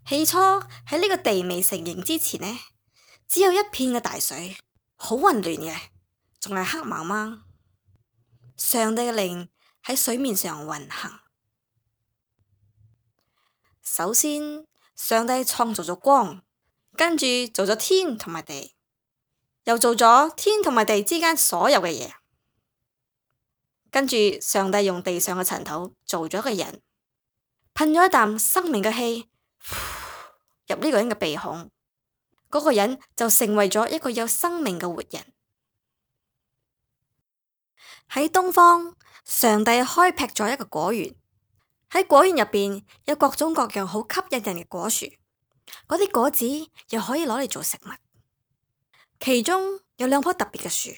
起初喺呢個地未成形之前呢，只有一片嘅大水，好混亂嘅，仲係黑茫茫。上帝嘅靈喺水面上運行。首先，上帝創造咗光，跟住做咗天同埋地，又做咗天同埋地之間所有嘅嘢。跟住，上帝用地上嘅塵土做咗個人，噴咗一啖生命嘅氣入呢個人嘅鼻孔，嗰個人就成為咗一個有生命嘅活人。喺東方，上帝開闢咗一個果園，喺果園入邊有各種各樣好吸引人嘅果樹，嗰啲果子又可以攞嚟做食物。其中有兩棵特別嘅樹，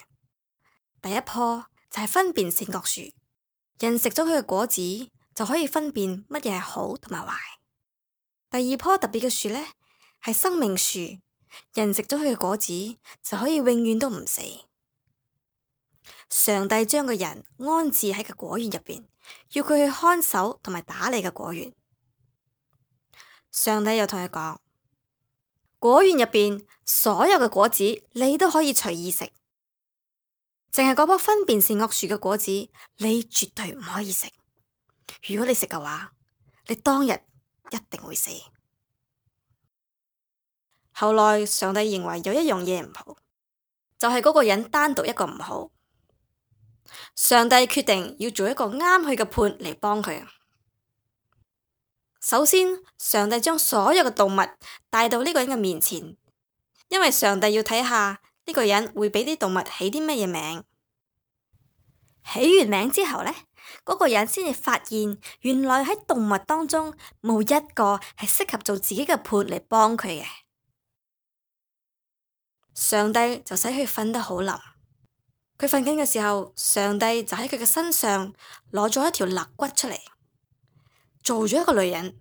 第一棵就係分辨善惡樹，人食咗佢嘅果子就可以分辨乜嘢係好同埋壞。第二棵特別嘅樹呢，係生命樹，人食咗佢嘅果子就可以永遠都唔死。上帝將個人安置喺個果園入邊，要佢去看守同埋打理個果園。上帝又同佢講，果園入邊所有嘅果子你都可以隨意食，淨係嗰棵分辨善惡樹嘅果子你絕對唔可以食。如果你食嘅話，你當日一定會死。後來上帝認為有一樣嘢唔好，就係嗰個人單獨一個唔好。上帝決定要做一個啱佢嘅伴嚟幫佢。首先，上帝將所有嘅動物帶到呢個人嘅面前，因為上帝要睇下呢個人會俾啲動物起啲乜嘢名。起完名之後呢，嗰個人先至發現，原來喺動物當中冇一個係適合做自己嘅伴嚟幫佢嘅。上帝就使佢瞓得好冧。佢瞓緊嘅時候，上帝就喺佢嘅身上攞咗一條肋骨出嚟，做咗一個女人，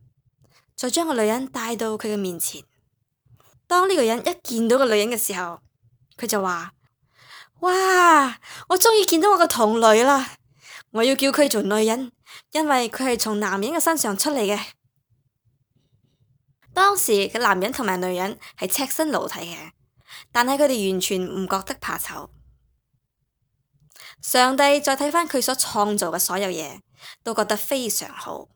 再將個女人帶到佢嘅面前。當呢個人一見到個女人嘅時候，佢就話：哇！我終於見到我嘅同類啦！我要叫佢做女人，因為佢係從男人嘅身上出嚟嘅。當時嘅男人同埋女人係赤身露體嘅，但係佢哋完全唔覺得怕醜。上帝再睇返佢所創造嘅所有嘢，都覺得非常好。